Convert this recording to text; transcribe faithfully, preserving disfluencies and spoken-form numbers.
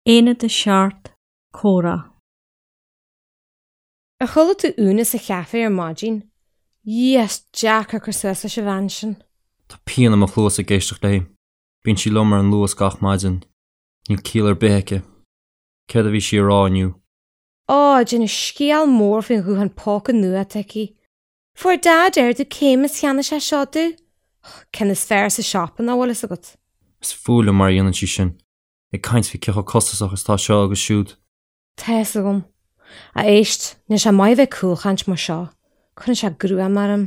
Aonad a seacht Comhrá. Ar chuala tú Úna sa chaifé ar maidin? Dhia, is deacair cur suas leis an bhean sin. Tá pian i mo chluas ag éisteacht léi. Bíonn sí liom ar an Luas gach maidin. Níl ciall ar bith aici. Céard a bhí sí a rá inniu? Á, déanamh scéal mór faoin ghuthán póca nua atá aici. Fuair Daid ardú céime is cheannaigh sé seo di. Ceann is fearr sa siopa nach bhfuil fhios agat. Is fuath liom mar a dhéanann sí sin. Ag caint faoi cé chomh costasach is atá seo agus siúd. Tá fhios agam. A éist, níl sé maith bheith cúlchaint mar seo. Cuireann sé gruaim orm.